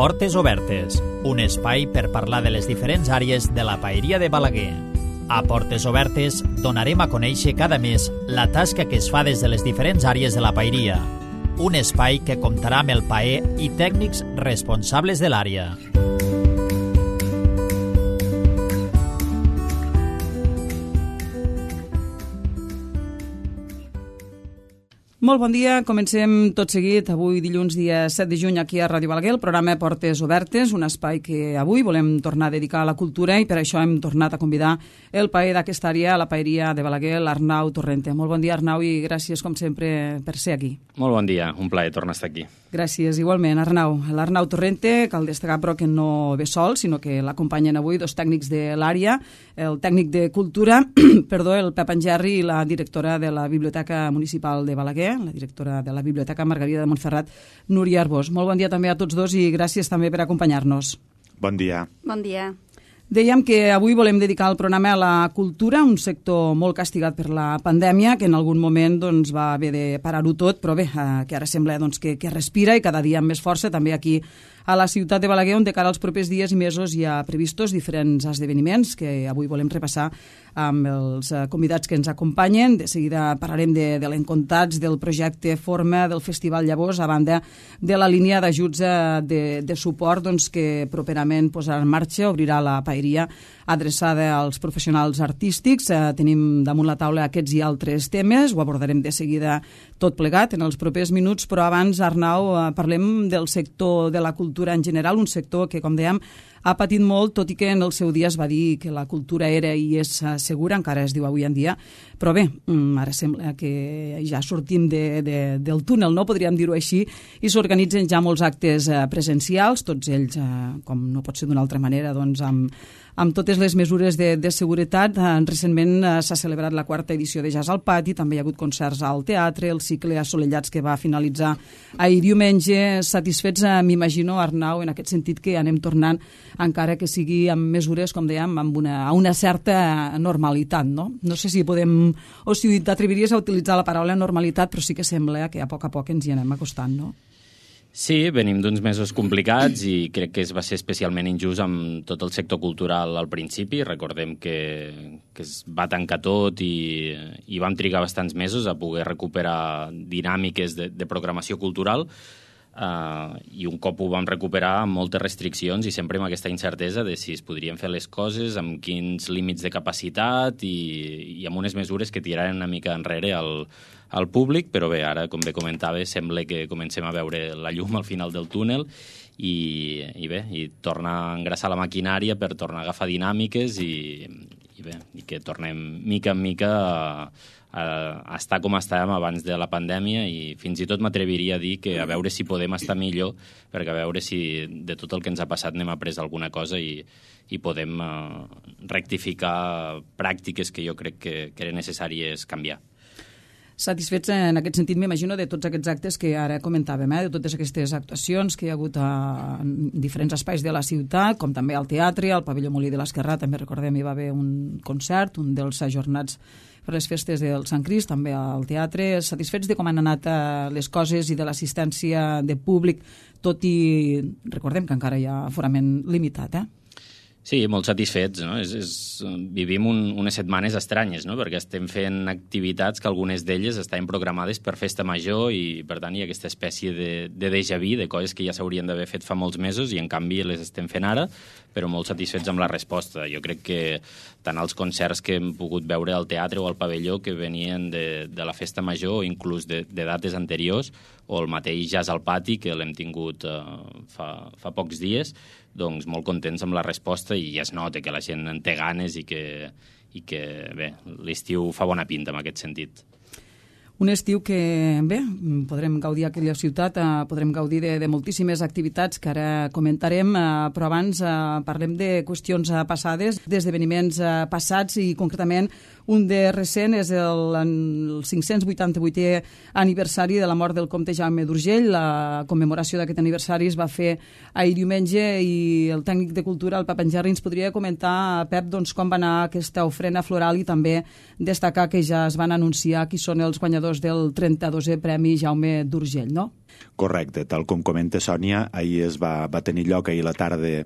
Portes Obertes, un espai per parlar de les diferents àrees de la paeria de Balaguer. A Portes Obertes donarem a conèixer cada mes la tasca que es fa des de les diferents àrees de la paeria. Un espai que comptarà amb el paer i tècnics responsables de l'àrea. Molt bon dia, comencem tot seguit avui dilluns dia 7 de juny aquí a Ràdio Balaguer, el programa Portes Obertes, un espai que avui volem tornar a dedicar a la cultura i per això hem tornat a convidar el paer d'aquesta àrea, la paeria de Balaguer, l'Arnau Torrente. Molt bon dia, Arnau, i gràcies com sempre per ser aquí. Molt bon dia, un plaer tornar a estar aquí. Gràcies, igualment, Arnau. L'Arnau Torrente, cal destacar però que no ve sol, sinó que l'acompanyen avui dos tècnics de l'àrea, el tècnic de cultura, el Pep Angerri, i la directora de la Biblioteca Municipal de Balaguer, la directora de la Biblioteca Margarida de Montferrat, Núria Arbós. Molt bon dia també a tots dos i gràcies també per acompanyar-nos. Bon dia. Bon dia. Dèiem que avui volem dedicar el programa a la cultura, un sector molt castigat per la pandèmia, que en algun moment va haver de parar-ho tot, però bé, que ara sembla que respira i cada dia amb més força, també aquí a la ciutat de Balaguer, on de cara als propers dies i mesos hi ha previstos diferents esdeveniments que avui volem repassar amb els convidats que ens acompanyen. De seguida parlarem de l'Encontats, del projecte Forma, del Festival Llavors, a banda de la línia d'ajuts de suport que properament posarà en marxa, obrirà la paeria adreçada als professionals artístics. Tenim damunt la taula aquests i altres temes, ho abordarem de seguida tot plegat en els propers minuts, però abans, Arnau, parlem del sector de la cultura en general, un sector que, com dèiem, ha patit molt, tot i que en el seu dia es va dir que la cultura era i és segura, encara es diu avui en dia, però bé, ara sembla que ja sortim del túnel, no podríem dir-ho així, i s'organitzen ja molts actes presencials, tots ells, com no pot ser d'una altra manera, amb totes les mesures de seguretat. Recentment s'ha celebrat la 4ª edició de Jazz al Pati, també hi ha hagut concerts al teatre, el cicle Assolellats que va finalitzar ahir diumenge. Satisfets, m'imagino, Arnau, en aquest sentit que anem tornant, encara que sigui amb mesures, com dèiem, a una certa normalitat, no? No sé si podem, o si t'atreviries a utilitzar la paraula normalitat, però sí que sembla que a poc ens hi anem acostant, no? Sí, venim d'uns mesos complicats i crec que va ser especialment injust amb tot el sector cultural al principi. Recordem que es va tancar tot i vam trigar bastants mesos a poder recuperar dinàmiques de programació cultural i un cop ho vam recuperar amb moltes restriccions i sempre amb aquesta incertesa de si es podrien fer les coses, amb quins límits de capacitat i amb unes mesures que tiraren una mica enrere al públic, però bé, ara, com bé comentava, sembla que comencem a veure la llum al final del túnel i tornar a engraçar la maquinària per tornar a agafar dinàmiques i que tornem mica en mica a estar com estàvem abans de la pandèmia i fins i tot m'atreviria a dir que a veure si podem estar millor, perquè a veure si de tot el que ens ha passat n'hem après alguna cosa i podem rectificar pràctiques que jo crec que eren necessàries canviar. Satisfets en aquest sentit, m'imagino, de tots aquests actes que ara comentàvem, de totes aquestes actuacions que hi ha hagut en diferents espais de la ciutat, com també al teatre, al pavelló Molí de l'Esquerrà, també recordem hi va haver un concert, un dels ajornats per les festes del Sant Crist, també al teatre. Satisfets de com han anat les coses i de l'assistència de públic, tot i recordem que encara hi ha aforament limitat, Sí, molt satisfets, no? Vivim unes setmanes estranyes, no? Perquè estem fent activitats que algunes d'elles estaven programades per festa major i, per tant, hi ha aquesta espècie de déjà vu, de coses que ja s'haurien d'haver fet fa molts mesos i, en canvi, les estem fent ara, però molt satisfets amb la resposta. Jo crec que tant els concerts que hem pogut veure al teatre o al pavelló que venien de la festa major o inclús de dates anteriors, o el mateix Jazz al Pati, que l'hem tingut fa pocs dies, doncs molt contents amb la resposta i ja es nota que la gent en té ganes i que bé, l'estiu fa bona pinta en aquest sentit. Un estiu que, bé, podrem gaudir a aquella ciutat, podrem gaudir de moltíssimes activitats que ara comentarem, però abans parlem de qüestions passades, d'esdeveniments passats i concretament Un de recent és el 588è aniversari de la mort del comte Jaume d'Urgell. La commemoració d'aquest aniversari es va fer ahir diumenge i el tècnic de cultura, el Pep Angerri, ens podria comentar, Pep, doncs, com va anar aquesta ofrena floral i també destacar que ja es van anunciar qui són els guanyadors del 32è Premi Jaume d'Urgell, no? Correcte, tal com comenta Sònia, ahir va tenir lloc ahir a la tarda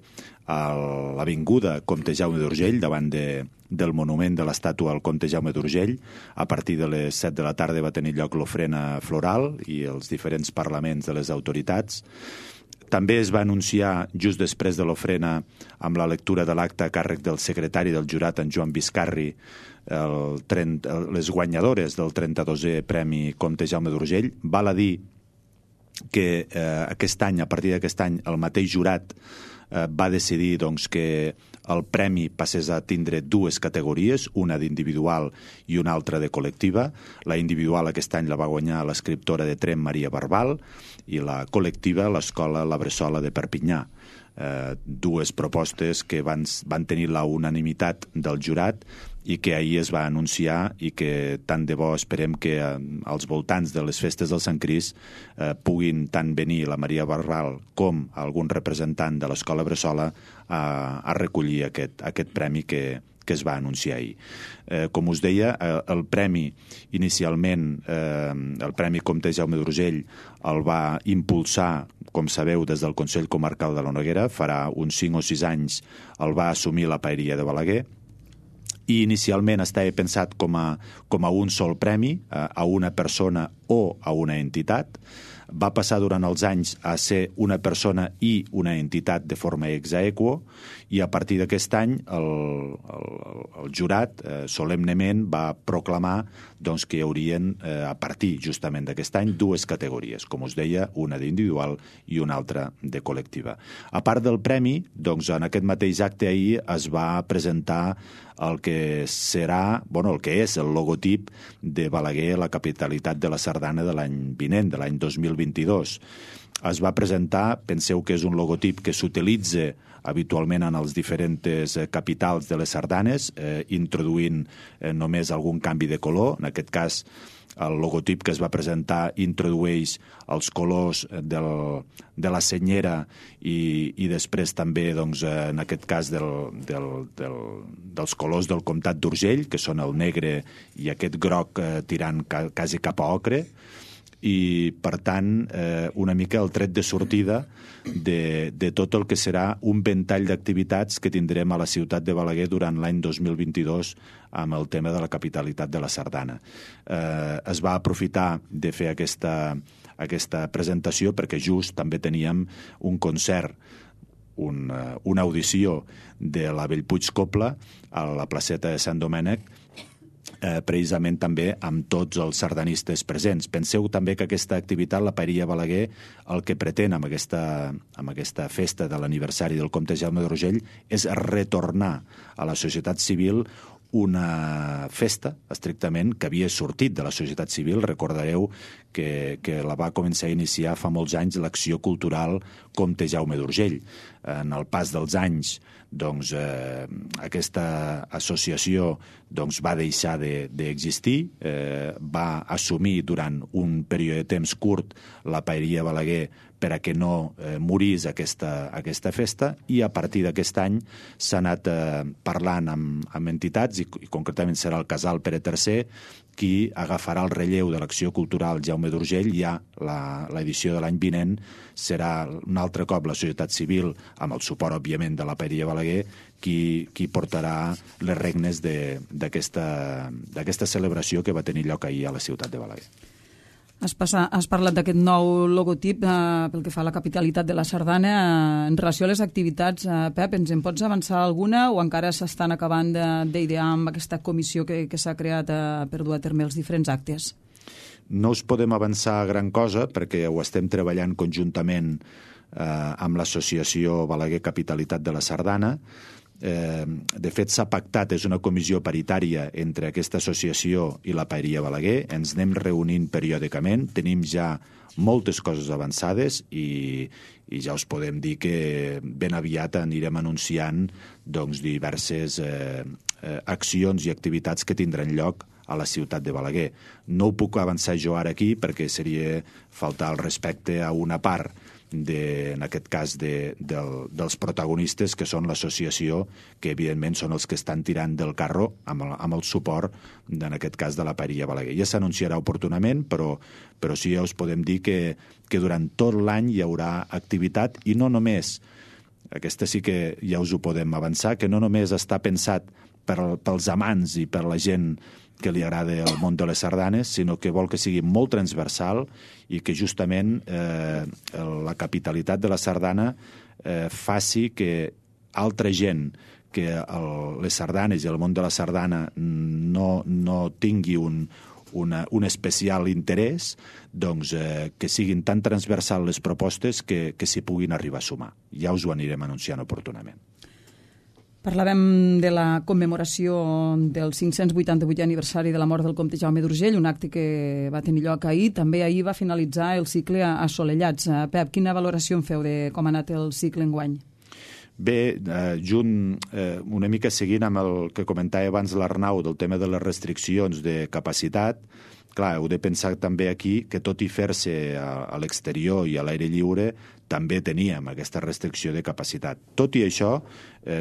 a l'avinguda Comte Jaume d'Urgell, davant del monument de l'estàtua al Comte Jaume d'Urgell. A partir de les 7 de la tarda va tenir lloc l'ofrena floral i els diferents parlaments de les autoritats. També es va anunciar, just després de l'ofrena, amb la lectura de l'acte a càrrec del secretari del jurat, en Joan Viscarri, les guanyadores del 32è Premi Comte Jaume d'Urgell. Val a dir que aquest any, a partir d'aquest any, el mateix jurat va decidir doncs, que el premi passés a tindre dues categories, una d'individual i una altra de col·lectiva. La individual aquest any la va guanyar l'escriptora de Tremp, Maria Barbal, i la col·lectiva, l'escola La Bressola de Perpinyà. Dues propostes que van tenir la unanimitat del jurat i que ahir es va anunciar i que tant de bo esperem que als voltants de les festes del Sant Crist puguin tant venir la Maria Barbal com algun representant de l'escola Bressola a recollir aquest premi que es va anunciar ahir. Com us deia, el premi inicialment, el Premi Comte Jaume d'Urgell, el va impulsar, com sabeu, des del Consell Comarcal de la Noguera. Farà uns 5 o 6 anys el va assumir la Paeria de Balaguer, i inicialment estava pensat com a un sol premi, a una persona o a una entitat. Va passar durant els anys a ser una persona i una entitat de forma ex aequo, i a partir d'aquest any el jurat solemnement va proclamar doncs, que hi haurien, a partir justament d'aquest any, dues categories, com us deia, una d'individual i una altra de col·lectiva. A part del premi, doncs, en aquest mateix acte ahir es va presentar el que serà, el que és el logotip de Balaguer, la capitalitat de la sardana de l'any vinent, de l'any 2022. Es va presentar, penseu que és un logotip que s'utilitza habitualment en els diferents capitals de les sardanes, introduint només algun canvi de color. En aquest cas, el logotip que es va presentar introdueix els colors de la senyera i després també, doncs, en aquest cas, dels colors del comtat d'Urgell, que són el negre i aquest groc tirant quasi cap a ocre, i, per tant, una mica el tret de sortida de tot el que serà un ventall d'activitats que tindrem a la ciutat de Balaguer durant l'any 2022 amb el tema de la capitalitat de la sardana. Es va aprofitar de fer aquesta presentació perquè just també teníem un concert, una audició de la Bellpuig Copla a la placeta de Sant Domènec, precisament també amb tots els sardanistes presents. Penseu també que aquesta activitat, la Paeria Balaguer, el que pretén amb aquesta festa de l'aniversari del comte Jaume d'Urgell és retornar a la societat civil una festa, estrictament, que havia sortit de la societat civil. Recordareu que la va començar a iniciar fa molts anys l'Acció Cultural Comte Jaume d'Urgell. En el pas dels anys, doncs, aquesta associació va deixar d'existir, va assumir durant un període de temps curt la Paeria Balaguer per a que no morís aquesta festa, i a partir d'aquest any s'ha anat parlant amb entitats, i concretament serà el Casal Pere III qui agafarà el relleu de l'Acció Cultural Jaume d'Urgell. Ja l'edició de l'any vinent serà un altre cop la societat civil, amb el suport, òbviament, de la Paeria Balaguer, qui portarà les regnes d'aquesta celebració que va tenir lloc ahir a la ciutat de Balaguer. Has parlat d'aquest nou logotip pel que fa a la capitalitat de la sardana. En relació a les activitats, Pep, ens en pots avançar alguna o encara s'estan acabant d'idear amb aquesta comissió que s'ha creat per dur a terme els diferents actes? No us podem avançar gran cosa perquè ho estem treballant conjuntament amb l'associació Balaguer Capitalitat de la Sardana, De fet, s'ha pactat, és una comissió paritària entre aquesta associació i la Paeria Balaguer, ens anem reunint periòdicament, tenim ja moltes coses avançades i ja us podem dir que ben aviat anirem anunciant diverses accions i activitats que tindran lloc a la ciutat de Balaguer. No ho puc avançar jo ara aquí perquè seria faltar el respecte a una part, en aquest cas dels protagonistes, que són l'associació, que evidentment són els que estan tirant del carro amb el suport, en aquest cas, de la Paeria Balaguer. Ja s'anunciarà oportunament, però sí ja us podem dir que durant tot l'any hi haurà activitat, i no només, aquesta sí que ja us ho podem avançar, que no només està pensat pels amants i per la gent que li agrada el món de les sardanes, sinó que vol que sigui molt transversal i que justament la capitalitat de la sardana faci que altra gent que les sardanes i el món de la sardana no tingui un especial interès, que siguin tan transversals les propostes que s'hi puguin arribar a sumar. Ja us ho anirem anunciant oportunament. Parlàvem de la commemoració del 588è aniversari de la mort del comte Jaume d'Urgell, un acte que va tenir lloc ahir. També ahir va finalitzar el cicle Assolellats. Pep, quina valoració en feu de com ha anat el cicle enguany? Bé, una mica seguint amb el que comentava abans l'Arnau del tema de les restriccions de capacitat, clar, heu de pensar també aquí que tot i fer-se a l'exterior i a l'aire lliure també teníem aquesta restricció de capacitat. Tot i això,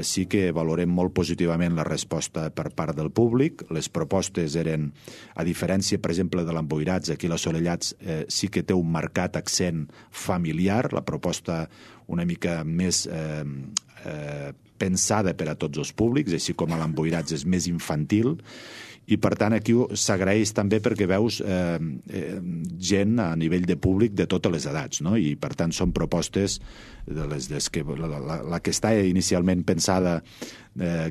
sí que valorem molt positivament la resposta per part del públic. Les propostes eren, a diferència, per exemple, de l'Emboirats, aquí l'Assolellats sí que té un marcat accent familiar, la proposta una mica més pensada per a tots els públics, així com a l'Emboirats és més infantil, i per tant aquí s'agraeix també perquè veus gent a nivell de públic de totes les edats, no? I per tant són propostes la que està inicialment pensada,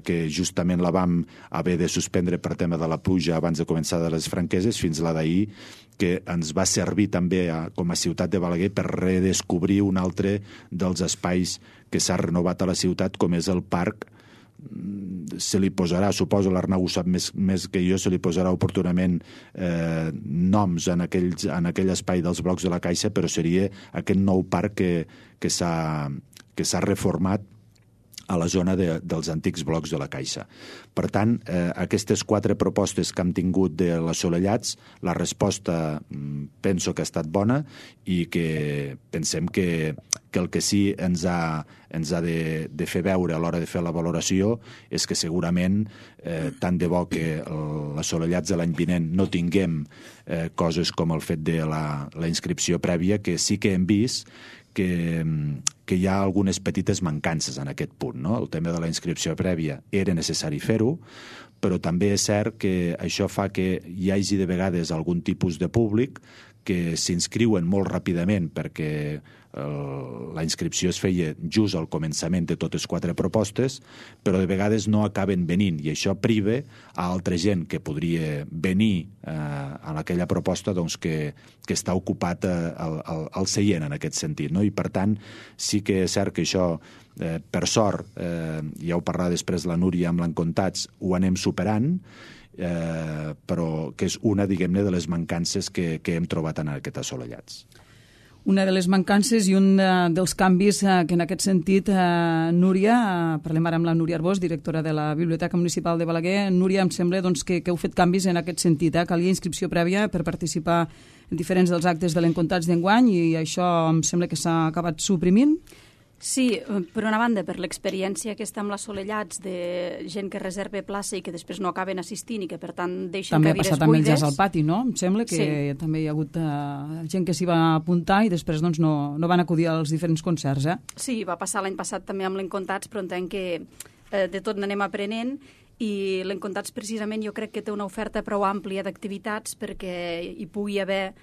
que justament la vam haver de suspendre per tema de la pluja abans de començar de les franqueses, fins la d'ahir, que ens va servir també com a ciutat de Balaguer per redescobrir un altre dels espais que s'ha renovat a la ciutat, com és el parc. Se li posarà, suposo l'Arnau ho sap més que jo, se li posarà oportunament noms en aquell espai dels blocs de la Caixa, però seria aquest nou parc que s'ha reformat a la zona dels antics blocs de la Caixa. Per tant, aquestes 4 propostes que hem tingut de l'Assolellats, la resposta penso que ha estat bona i que pensem que el que sí ens ha de fer veure a l'hora de fer la valoració és que segurament, tant de bo que l'Assolellats de l'any vinent no tinguem coses com el fet de la inscripció prèvia, que sí que hem vist que hi ha algunes petites mancances en aquest punt, no? El tema de la inscripció prèvia era necessari fer-ho, però també és cert que això fa que hi hagi de vegades algun tipus de públic que s'inscriuen molt ràpidament perquè la inscripció es feia just al començament de totes 4 propostes, però de vegades no acaben venint, i això priva a altra gent que podria venir a aquella proposta que està ocupat al seient en aquest sentit, no? I per tant sí que és cert que això, per sort, ja ho parlarà després la Núria amb l'Encontats, ho anem superant, però que és una, diguem-ne, de les mancances que hem trobat en aquest Assolellats. Una de les mancances i un dels canvis que en aquest sentit, Núria, parlem ara amb la Núria Arbós, directora de la Biblioteca Municipal de Balaguer. Núria, em sembla que heu fet canvis en aquest sentit. Calia inscripció prèvia per participar en diferents dels actes de l'Encontats d'enguany i això em sembla que s'ha acabat suprimint. Sí, per una banda, per l'experiència que està amb l'Assolellats de gent que reserva plaça i que després no acaben assistint i que, per tant, deixen també cadires buides. També ha passat amb el Jazz al Pati, no? Em sembla que sí. També hi ha hagut gent que s'hi va apuntar i després no van acudir als diferents concerts, Sí, va passar l'any passat també amb l'Encontats, però entenc que de tot n'anem aprenent i l'Encontats precisament jo crec que té una oferta prou àmplia d'activitats perquè hi pugui haver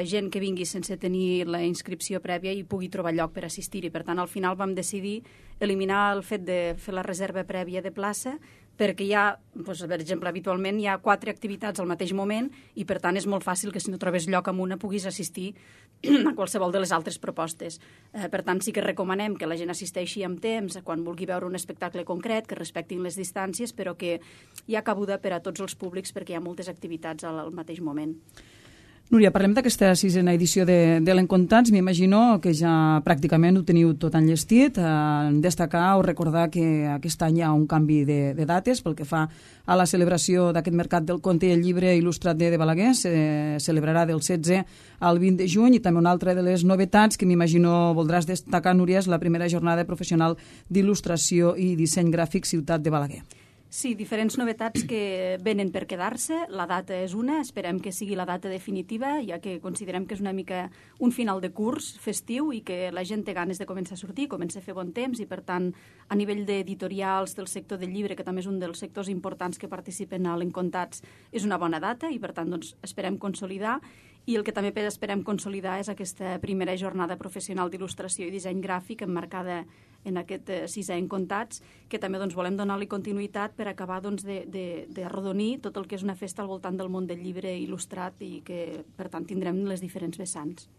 gent que vingui sense tenir la inscripció prèvia i pugui trobar lloc per assistir-hi. Per tant, al final vam decidir eliminar el fet de fer la reserva prèvia de plaça, perquè hi ha, doncs, per exemple, habitualment hi ha 4 activitats al mateix moment i, per tant, és molt fàcil que si no trobes lloc en una puguis assistir a qualsevol de les altres propostes. Per tant, sí que recomanem que la gent assisteixi amb temps quan vulgui veure un espectacle concret, que respectin les distàncies, però que hi ha cabuda per a tots els públics perquè hi ha moltes activitats al mateix moment. Núria, parlem d'aquesta 6a edició de l'Encontats. M'imagino que ja pràcticament ho teniu tot enllestit. Destacar o recordar que aquest any hi ha un canvi de dates pel que fa a la celebració d'aquest mercat del conte i el llibre il·lustrat de Balaguer. Se celebrarà del 16 al 20 de juny i també una altra de les novetats que m'imagino voldràs destacar, Núria, és la primera jornada professional d'il·lustració i disseny gràfic Ciutat de Balaguer. Sí, diferents novetats que venen per quedar-se. La data és una, esperem que sigui la data definitiva, ja que considerem que és una mica un final de curs festiu i que la gent té ganes de començar a sortir, comença a fer bon temps i, per tant, a nivell d'editorials del sector del llibre, que també és un dels sectors importants que participen a l'Encontats, és una bona data i, per tant, doncs, esperem consolidar. I el que també esperem consolidar és aquesta primera jornada professional d'il·lustració i disseny gràfic emmarcada en aquest 6è Encontats, que també doncs, volem donar-li continuïtat per acabar doncs, de arrodonir tot el que és una festa al voltant del món del llibre il·lustrat i que, per tant, tindrem les diferents vessants.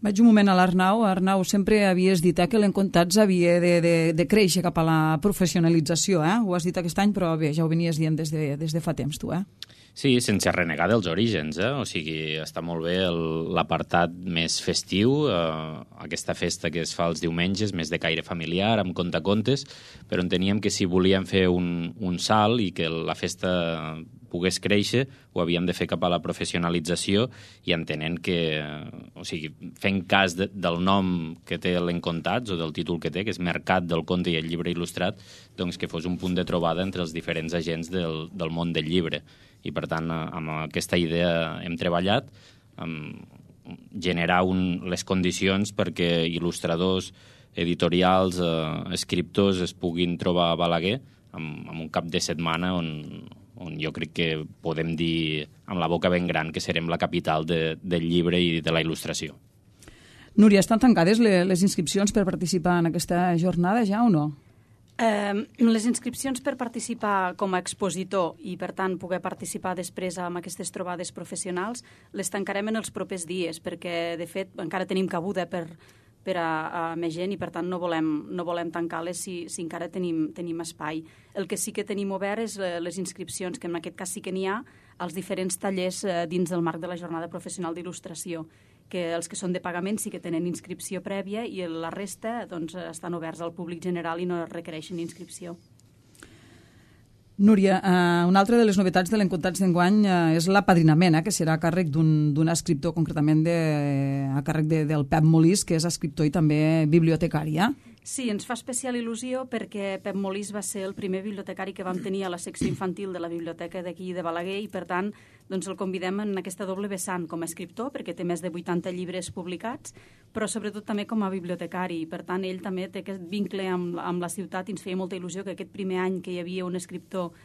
Vaig un moment a l'Arnau. Arnau, sempre havies dit que l'Encontats havia de créixer cap a la professionalització. Ho has dit aquest any, però bé, ja ho venies dient des de fa temps, tu. Sí, sense renegar dels orígens, o sigui, està molt bé l'apartat més festiu, aquesta festa que es fa els diumenges, més de caire familiar, amb contacontes, però enteníem que si volíem fer un salt i que la festa pogués créixer, ho havíem de fer cap a la professionalització i entenent que, o sigui, fent cas del nom que té l'Encontats o del títol que té, que és Mercat del Conte i el Llibre Il·lustrat, doncs que fos un punt de trobada entre els diferents agents del món del llibre. I, per tant, amb aquesta idea hem treballat, generar les condicions perquè il·lustradors, editorials, escriptors es puguin trobar a Balaguer amb un cap de setmana on jo crec que podem dir amb la boca ben gran que serem la capital del llibre i de la il·lustració. Núria, estan tancades les inscripcions per participar en aquesta jornada ja o no? Les inscripcions per participar com a expositor i, per tant, poder participar després amb aquestes trobades professionals les tancarem en els propers dies perquè, de fet, encara tenim cabuda per a més gent i, per tant, no volem tancar-les si encara tenim espai. El que sí que tenim obert és les inscripcions, que en aquest cas sí que n'hi ha, als diferents tallers dins del marc de la jornada professional d'il·lustració, que els que són de pagament sí que tenen inscripció prèvia i la resta doncs, estan oberts al públic general i no requereixen inscripció. Núria, una altra de les novetats de l'Encontats d'enguany és l'apadrinament, que serà a càrrec d'un escriptor, concretament a càrrec del Pep Molís, que és escriptor i també bibliotecari. Sí, ens fa especial il·lusió perquè Pep Molís va ser el primer bibliotecari que vam tenir a la secció infantil de la biblioteca d'aquí de Balaguer i, per tant, doncs el convidem en aquesta doble vessant com a escriptor, perquè té més de 80 llibres publicats, però sobretot també com a bibliotecari. Per tant, ell també té aquest vincle amb la ciutat i ens feia molta il·lusió que aquest primer any que hi havia un escriptor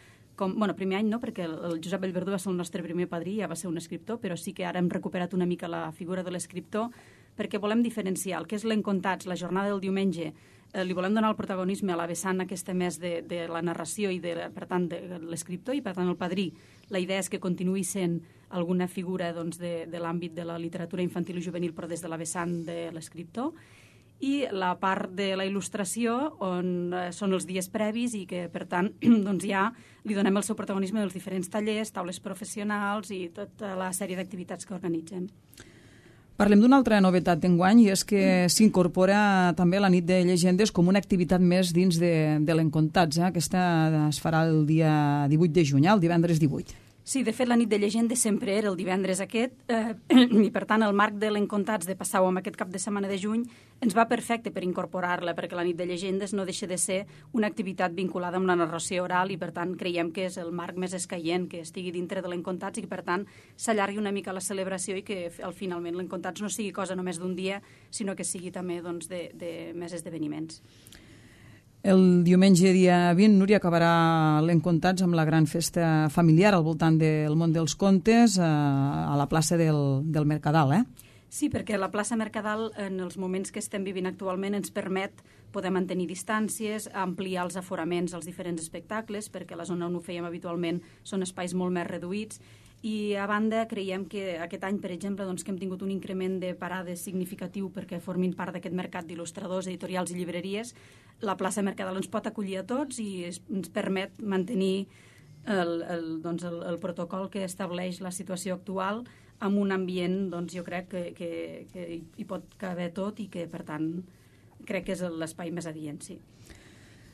primer any no, perquè el Josep Bellverdú va ser el nostre primer padrí, ja va ser un escriptor, però sí que ara hem recuperat una mica la figura de l'escriptor perquè volem diferenciar el que és l'Encontats, la jornada del diumenge, li volem donar el protagonisme a la vessant aquesta més de la narració i, per tant, de l'escriptor i, per tant, el padrí. La idea és que continuï sent alguna figura doncs, de l'àmbit de la literatura infantil i juvenil, però des de la vessant de l'escriptor. I la part de la il·lustració, on són els dies previs i que, per tant, doncs ja li donem el seu protagonisme dels diferents tallers, taules professionals i tota la sèrie d'activitats que organitzem. Parlem d'una altra novetat d'enguany i és que s'incorpora també la nit de llegendes com una activitat més dins de l'Encontats. Aquesta es farà el dia 18 de juny, el divendres 18. Sí, de fet, la nit de llegendes sempre era el divendres aquest i, per tant, el marc de l'Encontats de passar-ho amb aquest cap de setmana de juny ens va perfecte per incorporar-la, perquè la nit de llegendes no deixa de ser una activitat vinculada amb la narració oral i, per tant, creiem que és el marc més escaient que estigui dintre de l'Encontats i que, per tant, s'allargui una mica la celebració i que, finalment, l'Encontats no sigui cosa només d'un dia, sinó que sigui també doncs, de més esdeveniments. El diumenge dia 20, Núria, acabarà l'Encontats amb la gran festa familiar al voltant del món dels contes a la plaça del Mercadal, Sí, perquè la plaça Mercadal, en els moments que estem vivint actualment, ens permet poder mantenir distàncies, ampliar els aforaments als diferents espectacles, perquè la zona on ho fèiem habitualment són espais molt més reduïts. I, a banda, creiem que aquest any, per exemple, doncs, que hem tingut un increment de parades significatiu perquè formin part d'aquest mercat d'il·lustradors, editorials i llibreries. La plaça Mercadal ens pot acollir a tots i ens permet mantenir el protocol que estableix la situació actual amb un ambient, doncs, jo crec que hi pot caber tot i que, per tant, crec que és l'espai més adient, sí.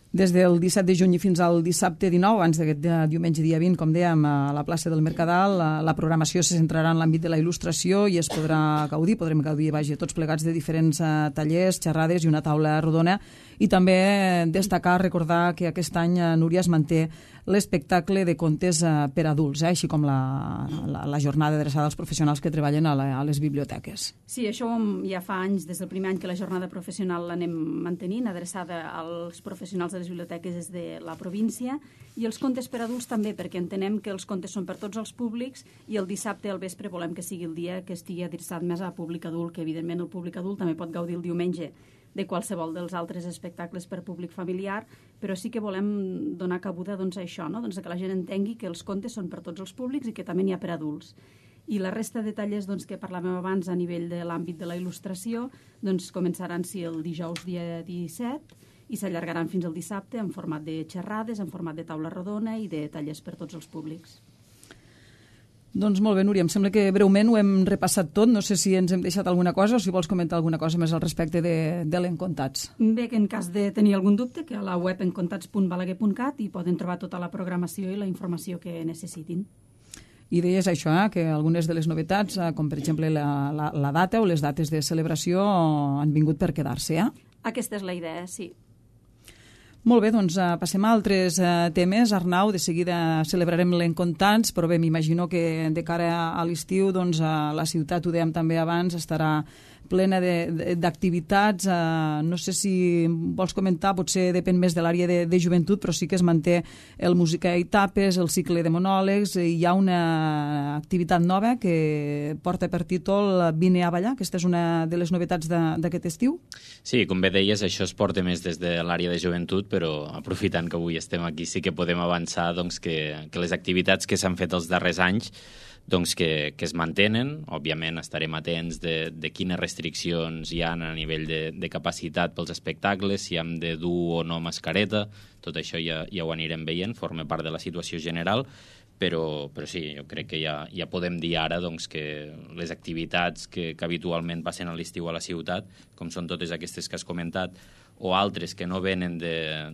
Des del 17 de juny fins al dissabte 19, abans d'aquest diumenge dia 20, com dèiem, a la plaça del Mercadal, la programació se centrarà en l'àmbit de la il·lustració i es podrem gaudir, tots plegats de diferents tallers, xerrades i una taula rodona. I també destacar, recordar que aquest any Núria es manté l'espectacle de contes per adults, així com la jornada adreçada als professionals que treballen a les biblioteques. Sí, això ja fa anys, des del primer any que la jornada professional l'anem mantenint, adreçada als professionals de les biblioteques des de la província, i els contes per adults també, perquè entenem que els contes són per tots els públics i el dissabte al vespre volem que sigui el dia que estigui adreçat més a públic adult, que evidentment el públic adult també pot gaudir el diumenge de qualsevol dels altres espectacles per públic familiar, però sí que volem donar cabuda a això, que la gent entengui que els contes són per tots els públics i que també n'hi ha per adults. I la resta de tallers que parlàvem abans a nivell de l'àmbit de la il·lustració començaran el dijous dia 17 i s'allargaran fins al dissabte en format de xerrades, en format de taula rodona i de tallers per tots els públics. Doncs molt bé, Núria, em sembla que breument ho hem repassat tot. No sé si ens hem deixat alguna cosa o si vols comentar alguna cosa més al respecte de l'Encontats. Bé, que en cas de tenir algun dubte, que a la web encontats.balaguer.cat hi poden trobar tota la programació i la informació que necessitin. I deies això, que algunes de les novetats, com per exemple la data o les dates de celebració, han vingut per quedar-se, Aquesta és la idea, sí. Molt bé, doncs passem a altres temes. Arnau, de seguida celebrarem l'Encontats, però bé, m'imagino que de cara a l'estiu la ciutat, ho dèiem també abans, estarà plena d'activitats. No sé si vols comentar, potser depèn més de l'àrea de joventut, però sí que es manté el Música i Tapes, el cicle de monòlegs. Hi ha una activitat nova que porta per títol Vine a ballar. Aquesta és una de les novetats d'aquest estiu. Sí, com bé deies, això es porta més des de l'àrea de joventut, però aprofitant que avui estem aquí sí que podem avançar que les activitats que s'han fet els darrers anys que es mantenen. Òbviament estarem atents de quines restriccions hi ha a nivell de capacitat pels espectacles, si hem de dur o no mascareta, tot això ja ho anirem veient, forma part de la situació general, però sí, jo crec que ja podem dir ara que les activitats que habitualment passen a l'estiu a la ciutat, com són totes aquestes que has comentat, o altres que no venen de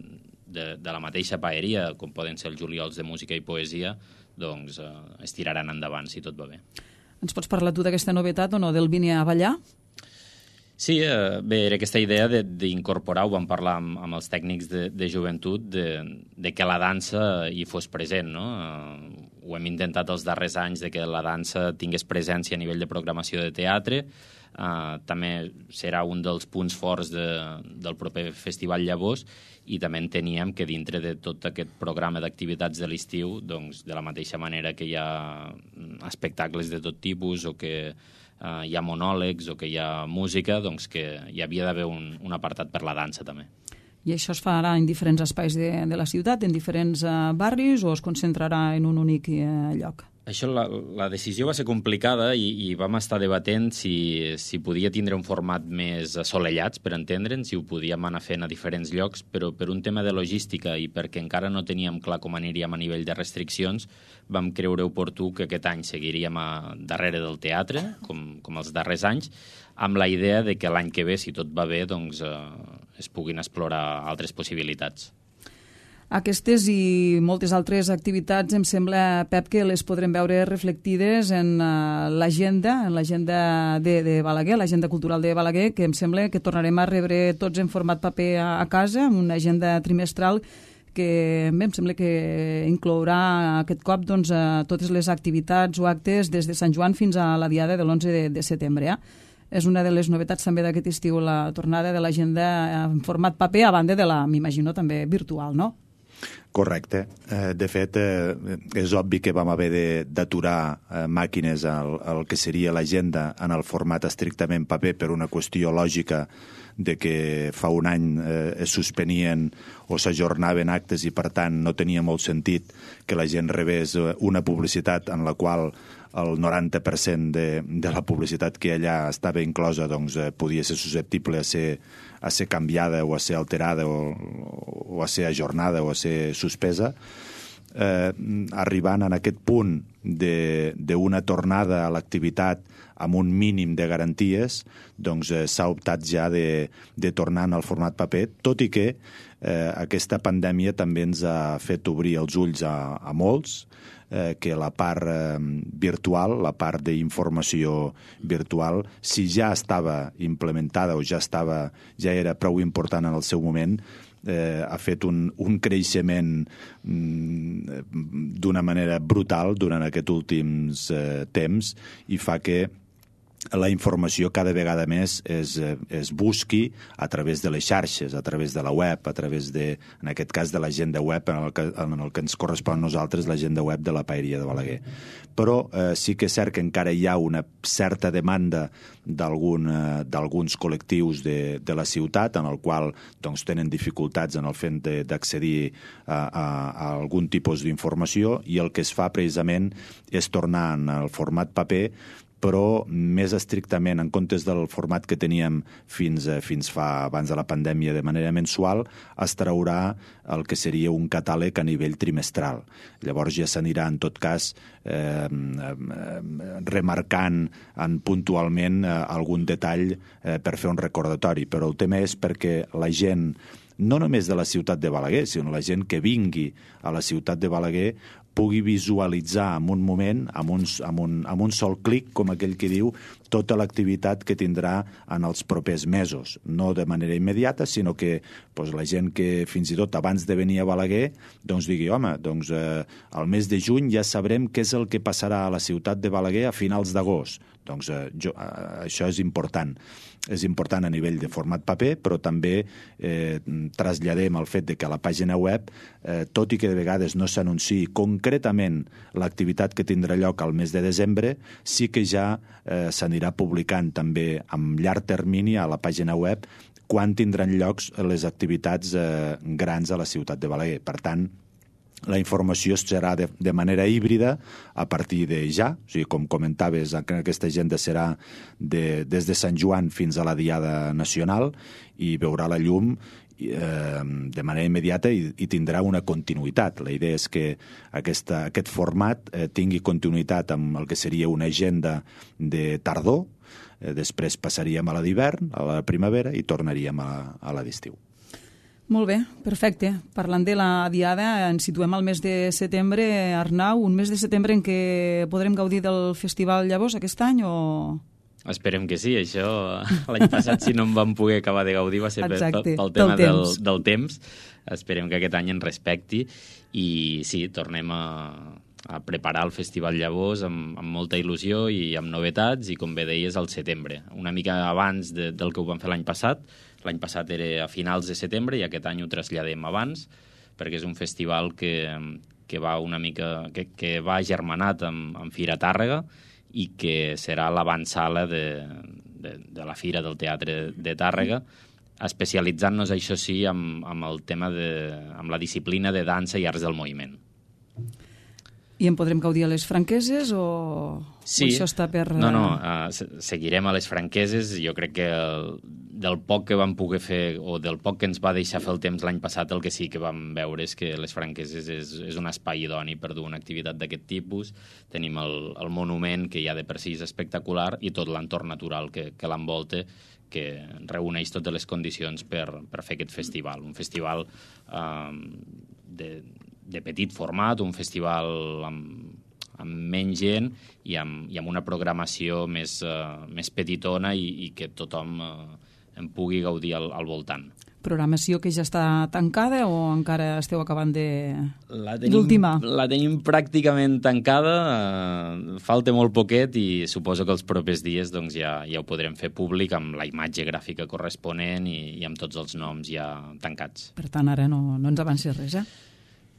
la mateixa paeria, com poden ser els juliols de música i poesia, es tiraran endavant, si tot va bé. Ens pots parlar tu d'aquesta novetat o no, del Vine a ballar? Sí, bé, era aquesta idea d'incorporar, ho vam parlar amb els tècnics de joventut, de que la dansa hi fos present, no? Ho hem intentat els darrers anys, de que la dansa tingués presència a nivell de programació de teatre. També serà un dels punts forts del proper Festival Llavors, i també enteníem que dintre de tot aquest programa d'activitats de l'estiu, de la mateixa manera que hi ha espectacles de tot tipus o que hi ha monòlegs o que hi ha música, que hi havia d'haver un apartat per la dansa també. I això es farà en diferents espais de la ciutat, en diferents barris, o es concentrarà en un únic lloc? Això, la decisió va ser complicada i vam estar debatent si podia tindre un format més assolellat, per entendre'ns, si ho podíem anar fent a diferents llocs, però per un tema de logística i perquè encara no teníem clar com aniríem a nivell de restriccions, vam creure oportú que aquest any seguiríem darrere del teatre, com els darrers anys, amb la idea de que l'any que ve, si tot va bé, es puguin explorar altres possibilitats. Aquestes i moltes altres activitats em sembla, Pep, que les podrem veure reflectides en l'agenda de Balaguer, l'agenda cultural de Balaguer, que em sembla que tornarem a rebre tots en format paper a casa, amb una agenda trimestral que em sembla que inclourà aquest cop totes les activitats o actes des de Sant Joan fins a la diada de l'11 de setembre. És una de les novetats també d'aquest estiu, la tornada de l'agenda en format paper, a banda de la, m'imagino, també virtual, no? Correcte. De fet, és obvi que vam haver d'aturar màquines al que seria l'agenda en el format estrictament paper per una qüestió lògica de que fa un any es suspenien o s'ajornaven actes i, per tant, no tenia molt sentit que la gent rebés una publicitat en la qual el 90% de la publicitat que allà estava inclosa doncs, podia ser susceptible a ser canviada o a ser alterada o a ser ajornada o a ser suspesa. Arribant en aquest punt d'una tornada a l'activitat amb un mínim de garanties, doncs s'ha optat ja de tornar en el format paper, tot i que aquesta pandèmia també ens ha fet obrir els ulls a molts, que la part virtual, la part d'informació virtual, si ja estava implementada o ja era prou important en el seu moment, ha fet un creixement d'una manera brutal durant aquests últims temps i fa que la informació cada vegada més es busqui a través de les xarxes, a través de la web, a través en aquest cas de l'agenda web, en el que ens correspon a nosaltres l'agenda web de la Paeria de Balaguer. Però sí que és cert que encara hi ha una certa demanda d'alguns col·lectius de la ciutat en el qual doncs, tenen dificultats en el fet d'accedir a algun tipus d'informació i el que es fa precisament és tornar en el format paper, però més estrictament, en comptes del format que teníem fins fa abans de la pandèmia de manera mensual, es traurà el que seria un catàleg a nivell trimestral. Llavors ja s'anirà, en tot cas, remarcant puntualment algun detall per fer un recordatori. Però el tema és perquè la gent, no només de la ciutat de Balaguer, sinó la gent que vingui a la ciutat de Balaguer pugui visualitzar en un moment, amb un sol clic, com aquell que diu, tota l'activitat que tindrà en els propers mesos. No de manera immediata, sinó que la gent que fins i tot abans de venir a Balaguer doncs digui, home, doncs al mes de juny ja sabrem què és el que passarà a la ciutat de Balaguer a finals d'agost. Doncs això és important. És important a nivell de format paper, però també traslladem el fet de que a la pàgina web, tot i que de vegades no s'anunciï concretament l'activitat que tindrà lloc al mes de desembre, sí que ja s'anirà publicant també amb llarg termini a la pàgina web quan tindran llocs les activitats grans a la ciutat de Balaguer. Per tant, la informació serà de manera híbrida a partir de ja, o sigui, com comentaves, aquesta agenda serà des de Sant Joan fins a la Diada Nacional i veurà la llum de manera immediata i tindrà una continuïtat. La idea és que aquest format tingui continuïtat amb el que seria una agenda de tardor, després passaríem a la d'hivern, a la primavera i tornaríem a la d'estiu. Molt bé, perfecte. Parlant de la Diada, ens situem al mes de setembre. Arnau, un mes de setembre en què podrem gaudir del Festival Llavors aquest any o...? Esperem que sí, això l'any passat si no em vam poder acabar de gaudir va ser pel tema del temps. Esperem que aquest any ens respecti i sí, tornem a preparar el Festival Llavors amb molta il·lusió i amb novetats i com bé deies al setembre, una mica abans del que ho vam fer l'any passat. L'any passat era a finals de setembre i aquest any ho traslladem abans perquè és un festival que va una mica que va germanat amb Fira Tàrrega i que serà l'avantsala de la Fira del Teatre de Tàrrega, especialitzant-nos, això sí, amb el tema amb la disciplina de dansa i arts del moviment. I en podrem gaudir a les Franqueses o això està per... No, seguirem a les Franqueses. Jo crec que del poc que vam poder fer o del poc que ens va deixar fer el temps l'any passat, el que sí que vam veure és que les Franqueses és un espai idoni per dur una activitat d'aquest tipus. Tenim el monument, que ja de per si és espectacular, i tot l'entorn natural que l'envolta, que reuneix totes les condicions per fer aquest festival. Un festival de petit format, un festival amb menys gent i amb una programació més petitona i que tothom en pugui gaudir al voltant. Programació que ja està tancada o encara esteu acabant d'ultimar? La tenim pràcticament tancada, falta molt poquet i suposo que els propers dies doncs, ja ho podrem fer públic amb la imatge gràfica corresponent i amb tots els noms ja tancats. Per tant, ara no ens avancis res,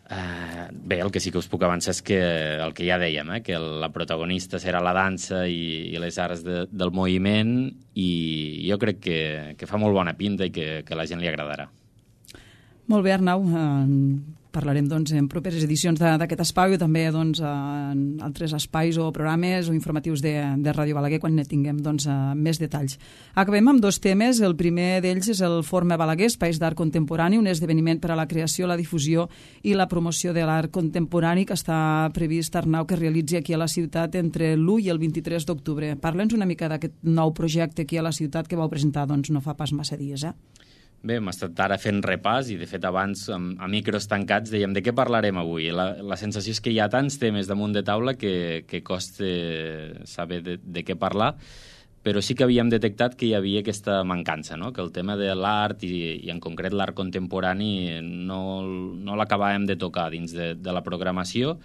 Bé, el que sí que us puc avançar és que el que ja dèiem, que la protagonista serà la dansa i les arts del moviment, i jo crec que fa molt bona pinta i que a la gent li agradarà. Molt bé, Arnau. Parlarem en properes edicions d'aquest espai o també en altres espais o programes o informatius de Ràdio Balaguer quan ne tinguem més detalls. Acabem amb 2 temes. El primer d'ells és el Forma Balaguer, Espais d'Art Contemporani, un esdeveniment per a la creació, la difusió i la promoció de l'art contemporani que està previst, Arnau, que realitzi aquí a la ciutat entre l'1 i el 23 d'octubre. Parla'ns una mica d'aquest nou projecte aquí a la ciutat que vau presentar no fa pas massa dies, Bé, hem estat ara fent repàs i, de fet, abans, a micros tancats, dèiem de què parlarem avui. La sensació és que hi ha tants temes damunt de taula que costa saber de què parlar, però sí que havíem detectat que hi havia aquesta mancança, no? Que el tema de l'art i en concret l'art contemporani no l'acabàvem de tocar dins de la programació,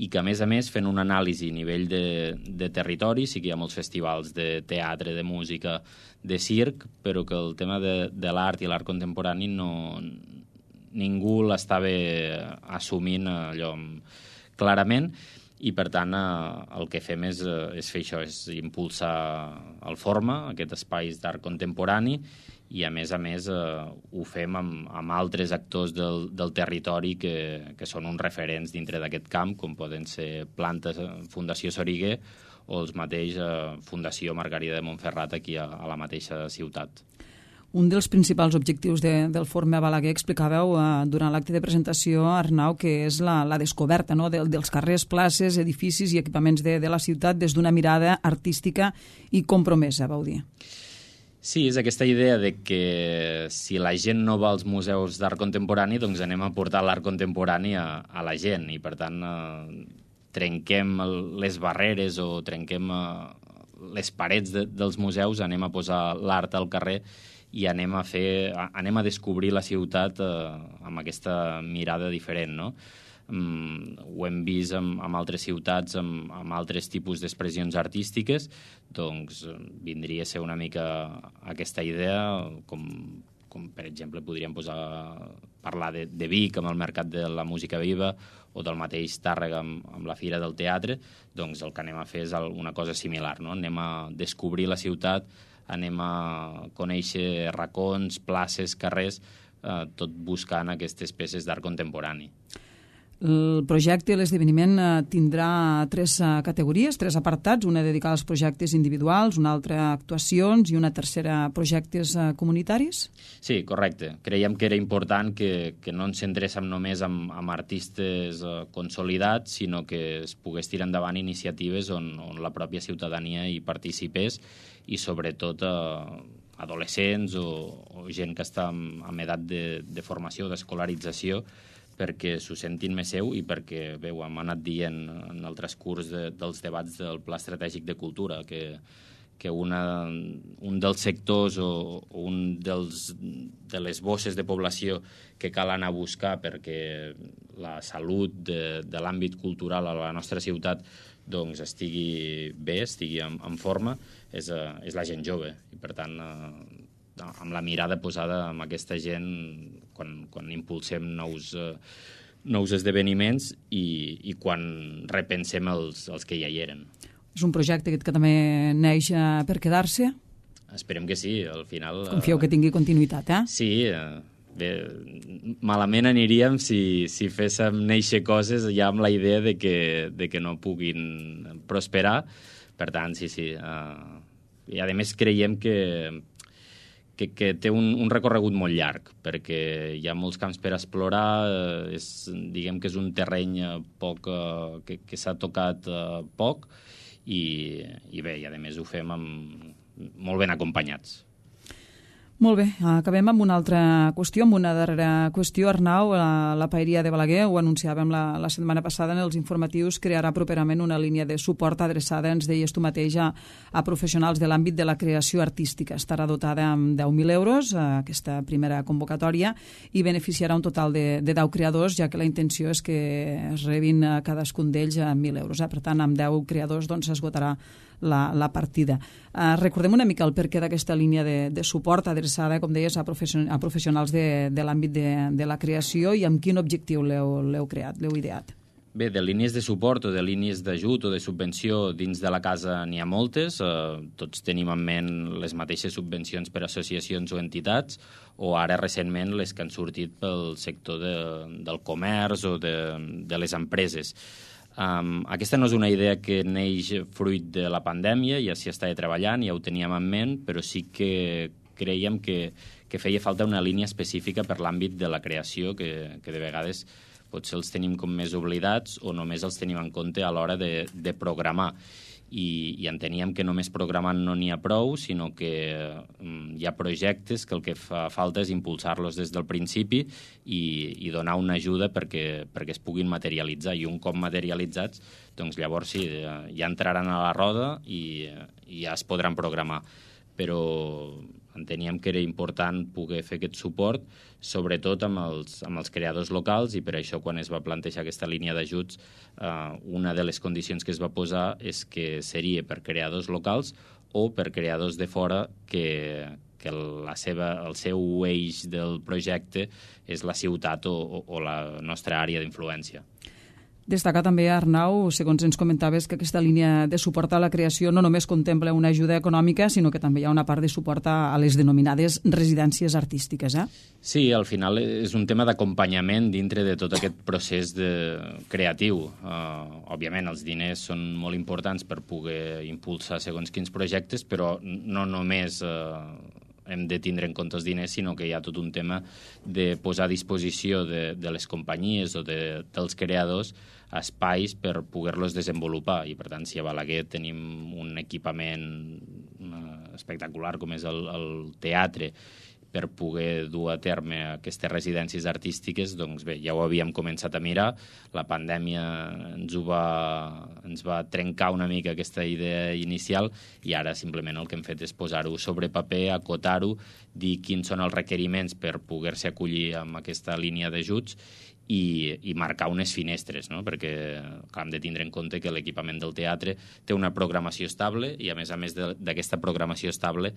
i que, a més, fent un anàlisi a nivell de territori, sí que hi ha molts festivals de teatre, de música, de circ, però que el tema de l'art i l'art contemporani ningú l'estava assumint allò clarament, i, per tant, el que fem és fer això, és impulsar el Forma, aquest espai d'art contemporani, i, a més, ho fem amb altres actors del territori que són uns referents dintre d'aquest camp, com poden ser Plantes, Fundació Soriguer, o els mateix Fundació Margarida de Montferrat aquí a la mateixa ciutat. Un dels principals objectius del Forma Balaguer, explicàveu durant l'acte de presentació, Arnau, que és la descoberta dels carrers, places, edificis i equipaments de la ciutat des d'una mirada artística i compromesa, vau dir. Sí, és aquesta idea de que si la gent no va als museus d'art contemporani, doncs anem a portar l'art contemporani a la gent, i, per tant, trenquem les barreres o trenquem les parets dels museus, anem a posar l'art al carrer i anem a descobrir la ciutat amb aquesta mirada diferent, no? Ho hem vist amb altres ciutats, amb altres tipus d'expressions artístiques, doncs vindria a ser una mica aquesta idea, com per exemple podríem parlar de Vic amb el Mercat de la Música Viva, o del mateix Tàrrega amb la Fira del Teatre. Doncs el que anem a fer és una cosa similar, no? Anem a descobrir la ciutat, anem a conèixer racons, places, carrers, tot buscant aquestes peces d'art contemporani. El projecte, l'esdeveniment, tindrà 3 categories, 3 apartats, una dedicada als projectes individuals, una altra a actuacions i una tercera a projectes comunitaris? Sí, correcte. Creiem que era important que no ens centréssim només en artistes consolidats, sinó que es pogués tirar endavant iniciatives on la pròpia ciutadania hi participés, i sobretot adolescents o gent que està en edat de formació, d'escolarització, perquè s'ho sentin més seu i perquè, bé, ho hem anat dient en el transcurs dels debats del Pla Estratègic de Cultura, que un dels sectors o un de les bosses de població que cal anar a buscar perquè la salut de l'àmbit cultural a la nostra ciutat doncs estigui bé, estigui en forma, és la gent jove. I, per tant, amb la mirada posada en aquesta gent quan impulsem nous esdeveniments i quan repensem els que ja hi eren. És un projecte que també neix per quedar-se? Esperem que sí, al final... Confieu que tingui continuïtat, Sí, bé, malament aniríem si féssim néixer coses ja amb la idea de que no puguin prosperar. Per tant, sí. I, a més, creiem que té un recorregut molt llarg, perquè hi ha molts camps per explorar, diguem que és un terreny que s'ha tocat poc, i bé, i a més ho fem molt ben acompanyats. Molt bé, acabem amb una altra qüestió, amb una darrera qüestió. Arnau, la Paeria de Balaguer, ho anunciàvem la setmana passada en els informatius, crearà properament una línia de suport adreçada, ens deies tu mateix, a professionals de l'àmbit de la creació artística. Estarà dotada amb 10.000 euros, aquesta primera convocatòria, i beneficiarà un total de 10 creadors, ja que la intenció és que es rebin cadascun d'ells 1.000 euros. Per tant, amb 10 creadors s'esgotarà la partida. Recordem una mica el perquè d'aquesta línia de suport adreçada, com deies, a professionals de l'àmbit de la creació, i amb quin objectiu l'heu creat, l'heu ideat? Bé, de línies de suport o de línies d'ajut o de subvenció dins de la casa n'hi ha moltes. Tots tenim en ment les mateixes subvencions per a associacions o entitats, o ara recentment les que han sortit pel sector del comerç o de les empreses. Aquesta no és una idea que neix fruit de la pandèmia, ja s'hi estava treballant, ja ho teníem en ment, però sí que creiem que feia falta una línia específica per l'àmbit de la creació, que de vegades potser els tenim com més oblidats o només els tenim en compte a l'hora de programar. I enteníem que només programant no n'hi ha prou, sinó que hi ha projectes que el que fa falta és impulsar-los des del principi i donar una ajuda perquè es puguin materialitzar. I un cop materialitzats, doncs llavors sí, ja entraran a la roda i ja es podran programar. Però enteníem que era important poder fer aquest suport, sobretot amb els creadors locals, i per això quan es va plantejar aquesta línia d'ajuts, una de les condicions que es va posar és que seria per creadors locals o per creadors de fora que el seu eix del projecte és la ciutat o la nostra àrea d'influència. Destacar també, Arnau, segons ens comentaves, que aquesta línia de suport a la creació no només contempla una ajuda econòmica, sinó que també hi ha una part de suport a les denominades residències artístiques, eh? Sí, al final és un tema d'acompanyament dintre de tot aquest procés creatiu. Òbviament, els diners són molt importants per poder impulsar segons quins projectes, però no només hem de tindre en compte els diners, sinó que hi ha tot un tema de posar a disposició de les companyies o dels creadors espais per poder-los desenvolupar. I, per tant, si a Balaguer tenim un equipament espectacular com és el teatre, per poder dur a terme aquestes residències artístiques, doncs bé, ja ho havíem començat a mirar. La pandèmia ens va trencar una mica aquesta idea inicial i ara simplement el que hem fet és posar-ho sobre paper, acotar-ho, dir quins són els requeriments per poder-se acollir amb aquesta línia d'ajuts i marcar unes finestres, no? Perquè hem de tindre en compte que l'equipament del teatre té una programació estable i, a més d'aquesta programació estable,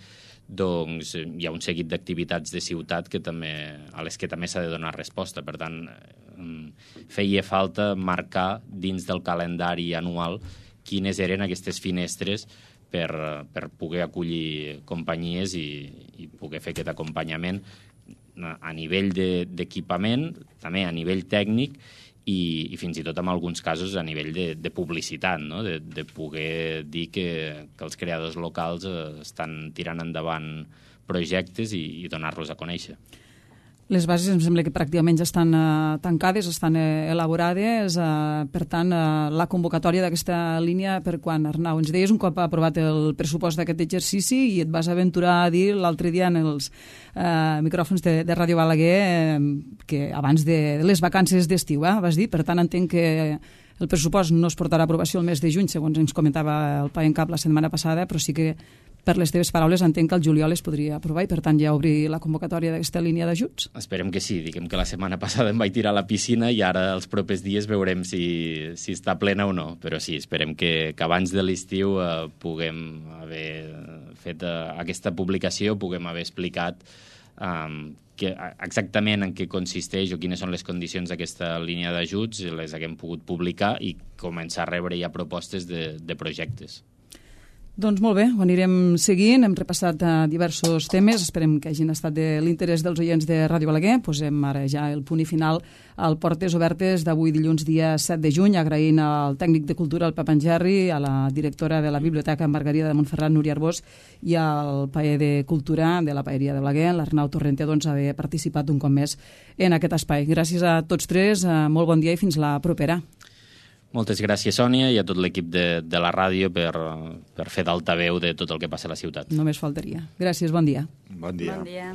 doncs hi ha un seguit d'activitats de ciutat a les que també s'ha de donar resposta. Per tant, feia falta marcar dins del calendari anual quines eren aquestes finestres per poder acollir companyies i poder fer aquest acompanyament a nivell d'equipament, també a nivell tècnic i fins i tot en alguns casos a nivell de publicitat, no? De poder dir que els creadors locals estan tirant endavant projectes i donar-los a conèixer. Les bases em sembla que pràcticament ja estan tancades, estan elaborades. Per tant, la convocatòria d'aquesta línia per quan, Arnau? Ens deies un cop aprovat el pressupost d'aquest exercici i et vas aventurar a dir l'altre dia en els micròfons de Ràdio Balaguer que abans de les vacances d'estiu, vas dir. Per tant, entenc que el pressupost no es portarà a aprovació el mes de juny, segons ens comentava el Pai en Cap la setmana passada, però sí que per les teves paraules entenc que el juliol es podria aprovar i per tant ja obrir la convocatòria d'aquesta línia d'ajuts? Esperem que sí. Diguem que la setmana passada em vaig tirar a la piscina i ara els propers dies veurem si està plena o no. Però sí, esperem que abans de l'estiu puguem haver fet aquesta publicació, puguem haver explicat exactament en què consisteix o quines són les condicions d'aquesta línia d'ajuts, les haguem pogut publicar i començar a rebre ja propostes de projectes. Doncs molt bé, ho anirem seguint, hem repassat diversos temes, esperem que hagin estat de l'interès dels oients de Ràdio Balaguer. Posem ara ja el punt i final al Portes Obertes d'avui dilluns dia 7 de juny, agraint al tècnic de cultura, el Pep Angerri, a la directora de la Biblioteca Margarida de Montferrat, Núria Arbós, i al paller de cultura de la Paeria de Balaguer, l'Arnau Torrente, doncs, haver participat un cop més en aquest espai. Gràcies a tots tres, molt bon dia i fins la propera. Moltes gràcies, Sònia, i a tot l'equip de la ràdio per fer d'altaveu de tot el que passa a la ciutat. Només faltaria. Gràcies, bon dia. Bon dia. Bon dia.